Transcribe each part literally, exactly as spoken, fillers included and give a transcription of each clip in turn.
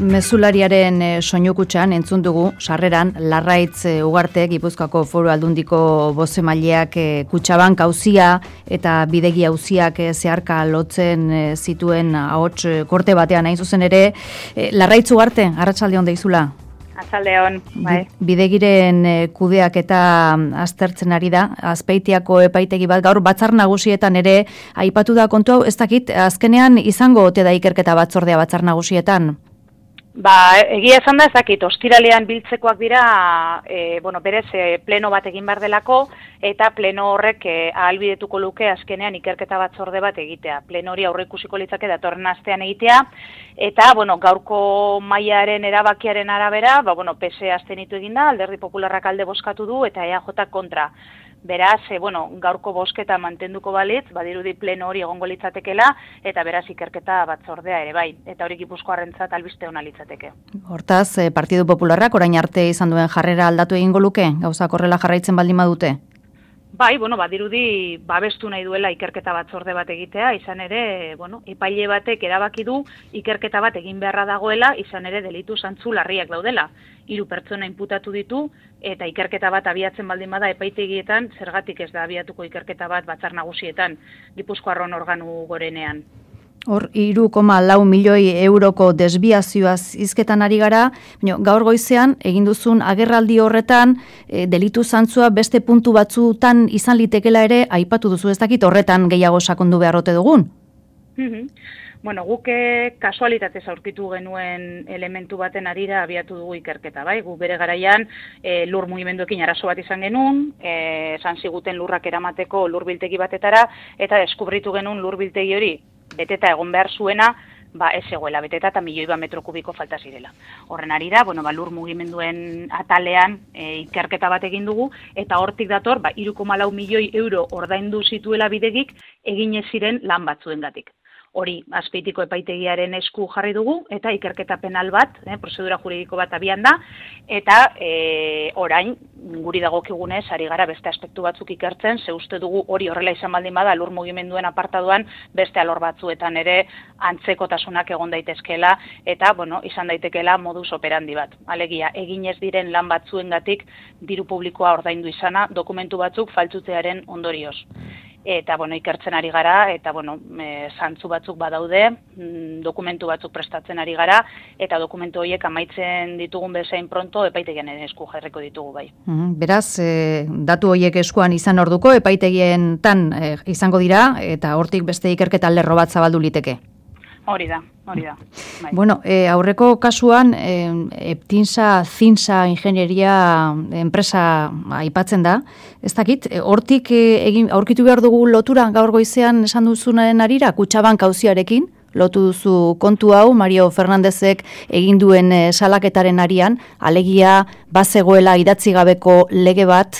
Mezulariaren soinukutxan entzun dugu sarreran Larraitz Ugarte Gipuzkoako Foru Aldundiko bozemaileak Kutxabank auzia eta bidegi auziak zeharka lotzen zituen ahots korte batean hain zuzen ere. Larraitz Ugarte, arratsaldeon deizula. Arratsaldeon, bai. Bidegiren kudeak eta aztertzen ari da, Azpeitiako epaitegi bat gaur batzar nagusietan ere aipatu da kontu hau, ez dakit azkenean izango ote da ikerketa batzordea batzar nagusietan? Ba, egia esan da ezakit, ostiralean biltzekoak dira, e, bueno, berez e, pleno bat egin behar delako, eta pleno horrek e, ahalbidetuko luke azkenean ikerketa batzorde bat egitea. Pleno hori aurreikusiko litzake datorren astean egitea, eta, bueno, gaurko mailaren erabakiaren arabera, ba, bueno, P S E abstenitu eginda, Alderdi Popularrak alde bozkatu du, eta E A J kontra. Beraz, e, bueno, gaurko bozketa mantenduko balitz, badirudi pleno hori egongo litzatekela, eta beraz ikerketa batzordea ere bai, eta hori Gipuzkoarrentzat albiste ona litzateke. Hortaz, e, Partidu Popularrak orain arte izan duen jarrera aldatu egingo luke, gauzak horrela jarraitzen baldin badute? Bai, bueno, badirudi babestu nahi duela ikerketa batzorde bat egitea, izan ere, bueno, epaile batek erabaki du ikerketa bat egin beharra dagoela, izan ere delitu zantzu larriak daudela. Hiru pertsona inputatu ditu eta ikerketa bat abiatzen baldin bada epaitegietan, zergatik ez da abiatuko ikerketa bat batzar nagusietan, Gipuzkoarron organu gorenean. Hor, hiru koma lau milioi euroko desbiazioaz hizketan ari gara, gaur goizean, egin duzun agerraldi horretan, e, delitu zantzua beste puntu batzutan izan litekela ere, aipatu duzu ez dakit horretan gehiago sakondu beharrote dugun? Bueno, guk kasualitatez aurkitu genuen elementu baten arira abiatu dugu ikerketa, bai? Gu bere garaian e, lur mugimenduekin arazo bat izan genuen, e, esan ziguten lurrak eramateko lurbiltegi batetara, eta deskubritu genuen lurbiltegi hori beteta egon behar zuena, ba ez egoela, beteta eta milioi bat metro kubiko falta zirela. Horren arira, bueno, ba, lur mugimenduen atalean e, ikerketa bat egin dugu, eta hortik dator, ba, hiru koma lau milioi euro ordaindu zituela bidegik egin ez ziren lan batzuengatik. Hori Azpeitiko epaitegiaren esku jarri dugu, eta ikerketa penal bat, eh, prozedura juridiko bat abian da, eta e, orain, guri dagokigunez, ari gara beste aspektu batzuk ikertzen, ze uste dugu hori horrela izan baldin bada, lur mugimenduen apartaduan beste alor batzuetan ere antzekotasunak egon daitezkeela, eta, bueno, izan daitekeela modus operandi bat. Alegia, egin ez diren lan batzuengatik diru publikoa ordaindu izana, dokumentu batzuk faltzutearen ondorioz. Eta, bueno, ikertzen ari gara, eta, bueno, e, zantzu batzuk badaude, mm, dokumentu batzuk prestatzen ari gara, eta dokumentu horiek amaitzen ditugun bezain pronto epaitegian esku jarriko ditugu bai. Mm, beraz, e, datu horiek eskuan izan orduko, epaitegien tan e, izango dira, eta hortik beste ikerketa lerro bat zabaldu liteke. Hori da, hori da. Bai. Bueno, e, aurreko kasuan, e, Eptinsa, Zinsa ingenieria enpresa aipatzen da. Ez dakit, hortik e, egin aurkitu behar dugu lotura gaur goizean esan duzunaren arira, Kutxabank auziarekin, lotu duzu kontu hau, Mario Fernandezek egin duen e, salaketaren arian, alegia bazegoela idatzi gabeko lege bat,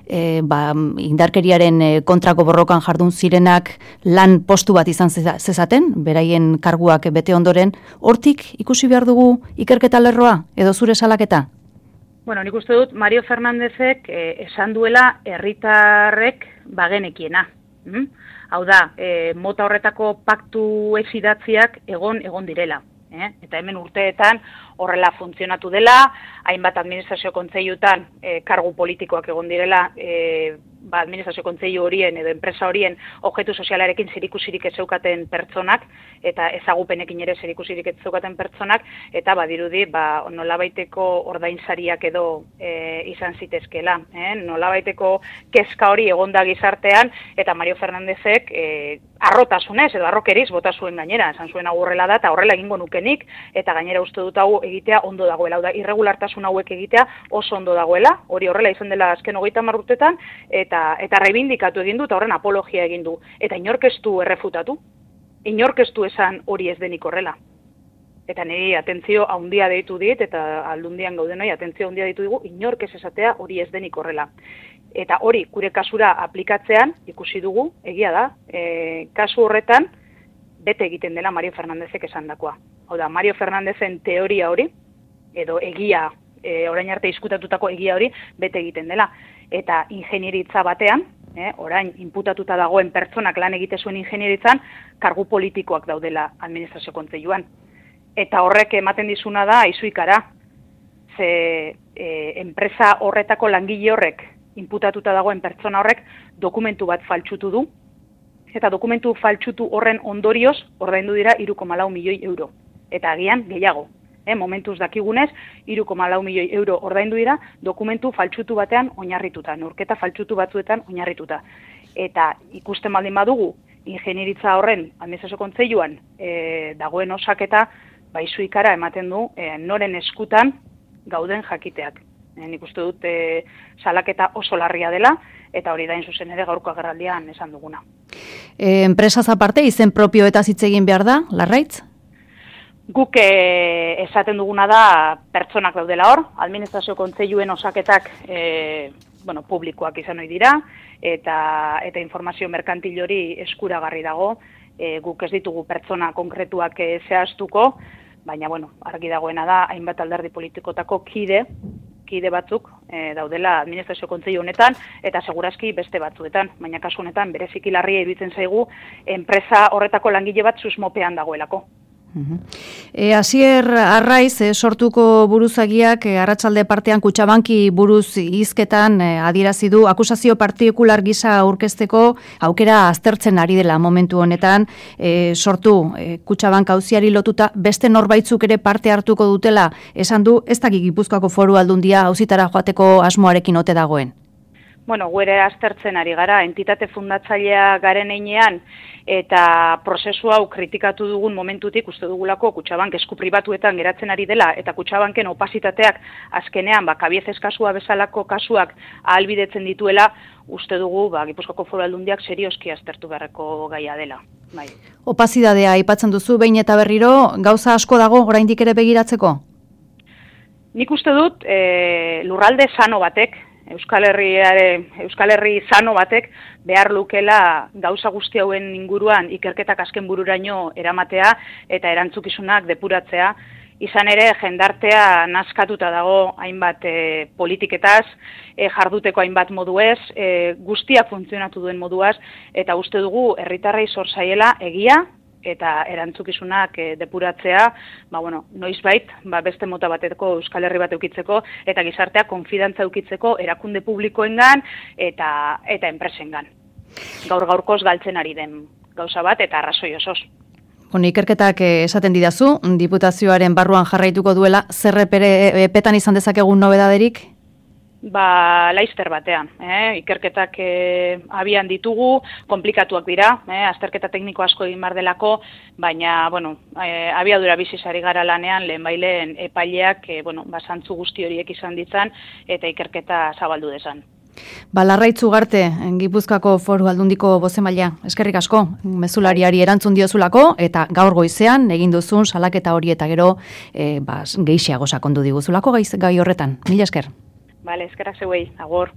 e, ba, indarkeriaren e, kontrako borrokan jardun zirenak lan postu bat izan zezaten, beraien karguak bete ondoren, hortik ikusi behar dugu ikerketa lerroa, edo zure salaketa? Bueno, nik uste dut Mario Fernandezek eh, esan duela herritarrek bagenekiena. Mm? Hau da, e, mota horretako paktu ez idatziak egon egon direla. Eh? Eta hemen urteetan horrela funtzionatu dela, hainbat administrazio kontseilutan e, kargu politikoak egon direla, e, ba, administrazio kontseilu horien edo enpresa horien objektu sozialarekin zerikusirik ez zeukaten pertsonak, eta ezagupenekin ere zerikusirik ez zeukaten pertsonak, eta badirudi ba, nolabaiteko ordainsariak edo e, izan zitezkela. Eh? Nolabaiteko kezka hori egonda gizartean, eta Mario Fernandezek e, arrotasunez edo arrokeriz bota zuen gainera, esan zuen hau horrela da, eta horrela egingo nukenik, eta gainera uste dut hau egitea ondo dagoela, hau da, irregulartasun hauek egitea oso ondo dagoela, hori horrela izan dela azken hogeita hamar urtetan, eta, eta reibindikatu egin du, eta horren apologia egin du, eta inork ez du errefutatu, inork ez du esan hori ez denik horrela. Eta niri atentzio handia deitu dit, eta aldundian gaudenoi atentzio handia deitu digu, inork ez esatea hori ez denik horrela. Eta hori, gure kasura aplikatzean, ikusi dugu, egia da, e, kasu horretan, bete egiten dela Mario Fernandezek esandakoa. Hau da, Mario Fernandezen teoria hori, edo egia, e, orain arte diskutatutako egia hori, bete egiten dela. Eta ingenieritza batean, eh, orain inputatuta dagoen pertsonak lan egite zuen ingenieritzan, kargu politikoak daudela administrazio kontseiluan. eta horrek ematen dizuna da izuikara. Ze e, enpresa horretako langile horrek, inputatuta dagoen pertsona horrek, dokumentu bat faltsutu du, eta dokumentu faltsutu horren ondorioz, ordaindu dira hiru koma lau milioi euro. Eta agian gehiago. Eh, momentuz dakigunez, hiru koma lau milioi euro ordaindu dira, dokumentu faltsutu batean oinarrituta, neurketa faltsutu batzuetan oinarrituta. Eta ikusten baldin badugu, ingenieritza horren administrazio kontseiluan e, dagoen osaketa, baizu ikara ematen du e, noren eskutan gauden jakiteak. E, nik uste dut e, salaketa oso larria dela, eta hori da zuzen ere gaurko agerraldian esan duguna. E, enpresaz aparte, izen propio eta hitz egin behar da, Larraitz? Guk e, esaten duguna da pertsonak daudela hor, administrazio kontseiluen osaketak e, bueno, publikoak izan ohi dira, eta, eta informazio merkantil hori eskuragarri dago, e, guk ez ditugu pertsona konkretuak e, zehaztuko, baina bueno, argi dagoena da, hainbat alderdi politikotako kide, kide batzuk e, daudela administrazio kontseilu honetan, eta segurazki beste batzuetan, baina kasu honetan bereziki larria iruditzen zaigu enpresa horretako langile bat susmopean dagoelako. E, Asier Arraiz, e, sortuko buruzagiak e, arratsalde partean Kutxabanki buruz hizketan e, adierazi du akusazio partikular gisa aurkezteko aukera aztertzen ari dela momentu honetan, e, sortu e, Kutxabank auziari lotuta beste norbaitzuk ere parte hartuko dutela, esan du ez dakik Gipuzkoako Foru Aldundia auzitara joateko asmoarekin ote dagoen. Bueno, guere aztertzen ari gara, entitate fundatzailea garen einean, eta prozesu hau kritikatu dugun momentutik, uste dugulako Kutxabank esku pribatuetan geratzen ari dela, eta Kutxabanken opazitateak azkenean, ba, kabiezez kasua bezalako kasuak ahalbidetzen dituela, uste dugu, ba, Gipuzkoako Foru Aldundiak serioski aztertu beharreko gaia dela. Bai. Opazidadea aipatzen duzu, behin eta berriro, gauza asko dago oraindik ere begiratzeko? Nik uste dut, e, lurralde sano batek, Euskal Herriare, Euskal Herri sano batek behar lukela gauza guzti hauen inguruan ikerketak azken bururaino eramatea eta erantzukizunak depuratzea. Izan ere, jendartea nazkatuta dago hainbat e, politiketaz, e, jarduteko hainbat moduez, e, guztiak funtzionatu duen moduaz, eta uste dugu herritarrei zor zaiela egia, eta erantzukizunak e, depuratzea, ba, bueno, noizbait, ba, beste mota bateko Euskal Herri bat eukitzeko, eta gizartea konfidantza eukitzeko erakunde publikoengan eta eta enpresengan. Gaur gaurkoz galtzen ari den gauza bat, eta arrazoi osoz. Bueno, ikerketak esaten didazu, diputazioaren barruan jarraituko duela, zer epetan izan dezakegun nobedaderik? Ba, laizter batean, eh? ikerketak eh, abian ditugu, komplikatuak dira, eh? azterketa tekniko asko egin bar delako, baina, bueno, eh, abiadura bizizari gara lanean, lehen baileen epaileak, eh, bueno, basantzu guzti horiek izan ditzan, eta ikerketa zabaldu dezan. Ba, Larraitz Ugarte, Gipuzkoako Foru Aldundiko bozemailea, eskerrik asko, mezulariari erantzun diozulako, eta gaur goizean egin duzun salaketa hori eta gero eh, ba, gehiago sakondu diguzulako gai horretan. Mila esker. Bale, eskerrak zeuei, agor.